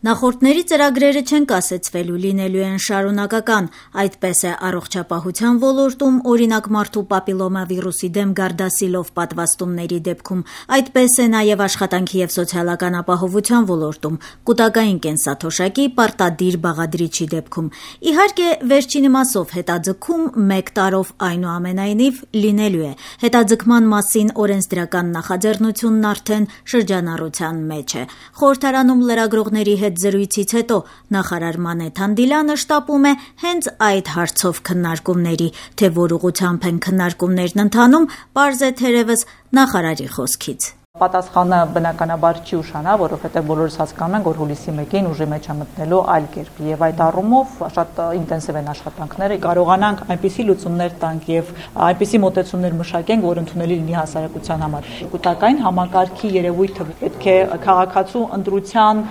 Նախորդների ծրագրերը չեն կասեցվելու, լինելու են շարունակական, այդպես է առողջապահության ոլորտում, օրինակ մարդու պապիլոմավիրուսի դեմ գարդասիլով պատվաստումների դեպքում, այդպես է նաև աշխատանքի և սոցիալական ապահովության ոլորտում, կուտակային կենսաթոշակի պարտադիր բաղադրիչի դեպքում։ Իհարկե, վերջին մասով հետաձգում 1 տարով այնուամենայնիվ լինելու է։ Հետաձգման մասին օրենսդրական նախաձեռնությունն արդեն շրջանառության մեջ է։ Խորհրդարանում լրագրողների հետ զրույցից հետո նախարար Մանե Թանդիլյանը շտապում է հենց այդ հարցով քննարկումների, թե որ ուղղությամբ են քննարկումներն ընթանում, պարզ է թերևս նախարարի խոսքից։ Պատասխանը բնականաբար չի ուշանա, որովհետև բոլորս հասկանում ենք, որ հուլիսի 1-ին ուժի մեջ է մտնելու այլ կերպ եւ այդ առումով շատ ինտենսիվ են աշխատանքները, կարողանանք այնպիսի լուծումներ տանք եւ այնպիսի մոտեցումներ մշակենք, որ ընդունելի լինի հասարակության համար։ Կուտակային համակարգի երևույթը պետք է քաղաքացու ընտրության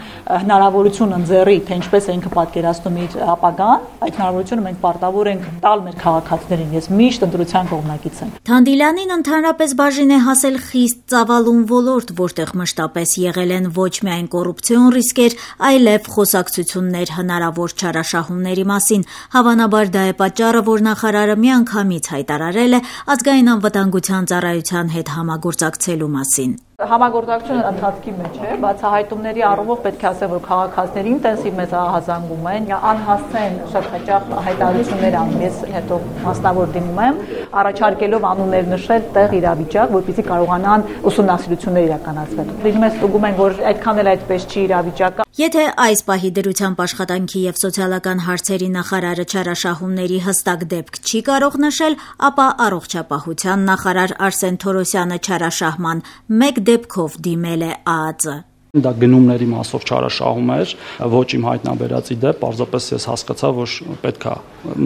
հնարավորություն ընձեռի, թե ինչպես է ինքը պատկերացնում իր ապագան, այդ հնարավորությունը մենք պարտավոր ենք տալ մեր քաղաքացիներին։ Ես միշտ ընտրության կողմնակից եմ։ Թանդիլյանին ընդհանրապես բաժին է հասել խիստ ծավալուն ոլորտ, որտեղ մշտապես եղել են ոչ միայն կոռուպցիոն ռիսկեր, այլև խոսակցություններ հնարավոր չարաշահումների մասին։ Հավանաբար դա է պատճառը, որ նախարարը միանգամից հայտարարել է ազգային անվտանգության ծառայության հետ համագործակցելու մասին։ Համագործակցությունը ընթացքի մեջ է, բացահայտումների առումով պետք է ասեմ, որ քաղաքացիների ինտենսիվ մեծ ահազանգում են, անհասցեն շատ հաճախ հայտարարություններ անում, ես հետո մասնավոր դիմում եմ, առաջարկելով անուններ նշել տեղ իրավիճակ, որպեսզի կարողանան ուսումնասիրություններ իրականացնել։ Դիմում ես ստուգում են, որ այդքան էլ այդպես չի իրավիճակը։ Եթե այս պահի դրությամբ աշխատանքի և սոցիալական հարցերի նախարարը չարաշահումների հստակ դեպք չի կարող նշել, ապա առողջապահության նախարար Արսեն Թորոսյանը չարաշահման 1 դեպքով դիմել է ԱԱԾ։ Դա գնումների մասով չարաշահում էր, ոչ իմ հայտնաբերածի դեպ, պարզապես ես հասկացա, որ պետք է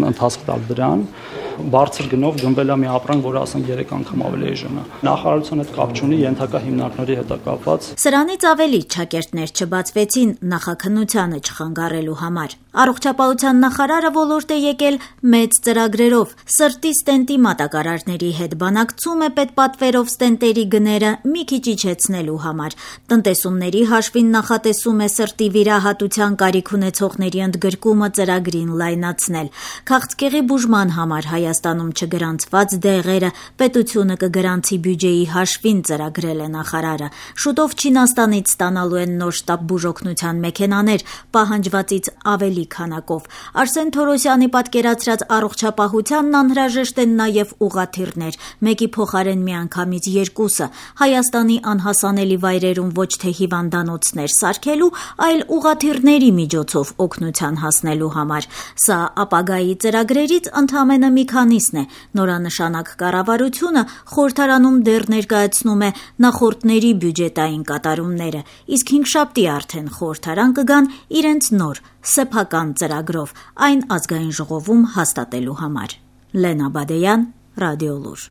ընթացք տալ դրան։ Բարձր գնով գնվել է մի ապրանք, որը ասենք 3 անգամ ավելի էժան է։ Նախարարության հետ կապ չունի, ենթակա հիմնարկների հետ է կապված։ Սրանից ավելի չակերտներ չբացվեցին նախաքննությանը չխանգարելու համար։ Առողջապահության նախարարը ոլորտ է եկել մեծ ծրագրերով։ Սրտի ստենտի մատակարարների հետ բանակցում է պետպատվերով ստենտերի գները մի քիչ իջեցնելու համար։ Տնտեսումների հաշվին նախատեսում է սրտի վիրահատության կարիք ունեցողների ընդգրկումը ծրագրին լայնացնել։ Քաղցկեղի բուժման համար Հայաստանում չգրանցված դեղերը պետությունը կգրանցի բյուջեի հաշվին ծրագրել է նախարարը։ Շուտով Չինաստանից ստանալու են նոր շտապ բուժօգնության մեքենաներ, պահանջվածից ավելի քանակով։ Արսեն Թորոսյանի պատկերացրած առողջապահությանն անհրաժեշտ են նաև ուղղաթիռներ, մեկի փոխարեն միանգամից 2-ը, Հայաստանի անհասանելի վայրերում ոչ թե հիվանդանոցներ սարքելու, այլ ուղղաթիռների միջոցով օգնության հասնելու համար։ Սա ապագայի ծրագրերից ընդամենը մի քանիսն է։ Նորանշանակ կառավարությունը խորհրդարանում դեռ ներկայացնում է նախորդների բյուջետային կատարումները, իսկ հինգշաբթի արդեն խորհրդարան կգան իրենց նոր սեփական ծրագրով, այն ազգային ժողովում հաստատելու համար։ Լենա Բադեյան, Ռադիոլուր։